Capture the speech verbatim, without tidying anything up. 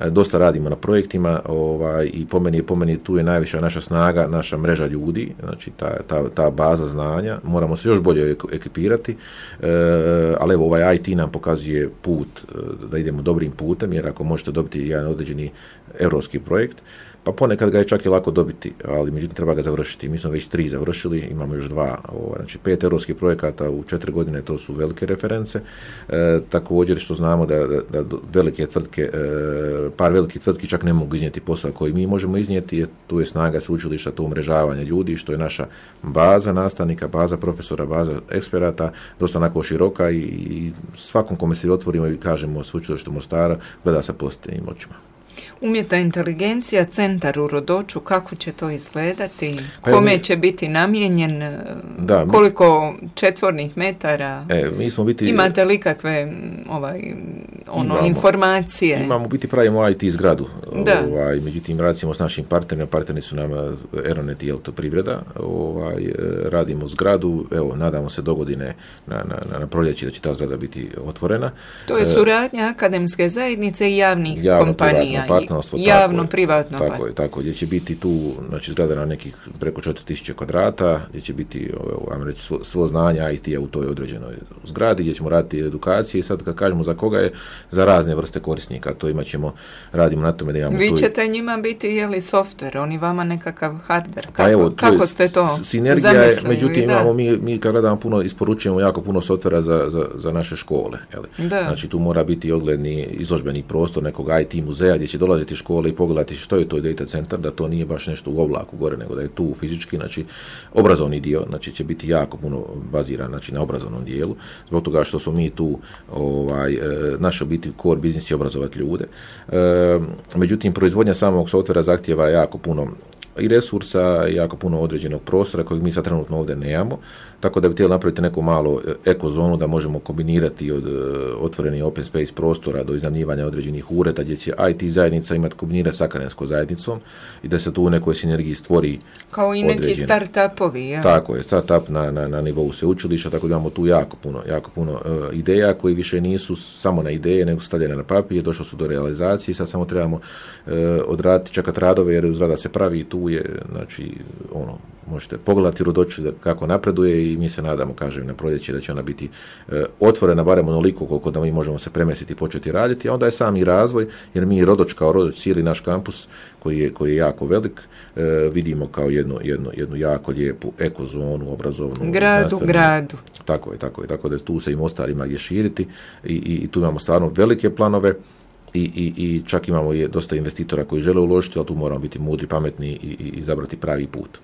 dosta radimo na projektima, ovaj, i po meni, po meni tu je najviša naša snaga, naša mreža ljudi, znači ta, ta, ta baza znanja, moramo se još bolje ekipirati, e, ali evo ovaj I T nam pokazuje put, da idemo dobrim putem, jer ako možete dobiti jedan određeni europski projekt, pa ponekad ga je čak i lako dobiti, ali međutim treba ga završiti. Mi smo već tri završili, imamo još dva, ovaj, znači pet europskih projekata u četiri godine, to su velike reference. E, također što znamo da, da, da velike tvrtke, e, par velikih tvrtki čak ne mogu iznijeti posao koji mi možemo iznijeti, jer tu je snaga sveučilišta, to umrežavanje ljudi, što je naša baza nastavnika, baza profesora, baza eksperata, dosta onako široka i, i svakom kome se otvorimo i kažemo sveučilište Mostara, gleda sa pozitivnim očima. Umjetna inteligencija, centar u Rodoču, kako će to izgledati? Kome će biti namijenjen? Da, mi, koliko četvornih metara? E, mi smo biti, imate li kakve ovaj, ono, imamo, informacije? Imamo biti, pravimo I T zgradu. Ovaj, međutim, radimo s našim partnerima. Partneri su nam Aeronet i Elektroprivreda. Ovaj, radimo zgradu. Evo, nadamo se do godine na, na, na proljeći da će ta zgrada biti otvorena. To je suradnja akademske zajednice i javnih javno kompanija. Javno, privatno. Tako je, tako, gdje će biti tu, znači, zgrada na nekih preko četiri tisuće kvadrata, gdje će biti, ajmo reći, svo, svo znanje I T-a u toj određenoj zgradi, gdje ćemo raditi edukacije i sad kad kažemo za koga je, za razne vrste korisnika, to imat ćemo, radimo na tome da imamo. Vi ćete tu njima biti, je li, softver, oni vama nekakav hardware, kako, pa evo, kako ste to sinergija zamislili? Je, međutim, da. imamo, mi, mi kad gledamo puno, isporučujemo jako puno softvera za, za, za naše škole, je li? Znači tu mora biti odgledni izložbeni prostor nekog I T muzeja gdje će dolaziti škole i pogledati što je to data centar, da to nije baš nešto u oblaku gore, nego da je tu fizički, znači obrazovni dio, znači će biti jako puno baziran, znači na obrazovnom dijelu, zbog toga što smo mi tu, ovaj, naša biti core biznis je obrazovati ljude. E, međutim, proizvodnja samog softvera zahtjeva jako puno i resursa, i jako puno određenog prostora kojeg mi sad trenutno ovdje nemamo, tako da bi htjeli napraviti neku malu ekozonu da možemo kombinirati od otvorenih open space prostora do iznajmljivanja određenih ureda gdje će I T zajednica imati kombinirati s akademskom zajednicom i da se tu u nekoj sinergiji stvori kao i neki start-upovi. Ja. Tako je, start-up na, na, na nivou sveučilišta, tako da imamo tu jako puno, jako puno uh, ideja koji više nisu samo na ideje, nego stavljene na papir, došlo su do realizacije, sad samo trebamo uh, odraditi, čekati radove jer zgrada se pravi i tu je, znači, ono, možete pogledati Rodoču kako napreduje i mi se nadamo, kažem, na proljeće da će ona biti e, otvorena barem onoliko koliko da mi možemo se premestiti i početi raditi, a onda je sami razvoj, jer mi Rodoč kao Rodoč, cijeli naš kampus koji je, koji je jako velik, e, vidimo kao jednu, jednu, jednu jako lijepu ekozonu, obrazovnu. Grad u gradu. Tako je, tako je, tako da tu se i Mostar ima gdje širiti i, i, i tu imamo stvarno velike planove. I, i, i čak imamo je dosta investitora koji žele uložiti, ali tu moramo biti mudri, pametni i, i izabrati pravi put.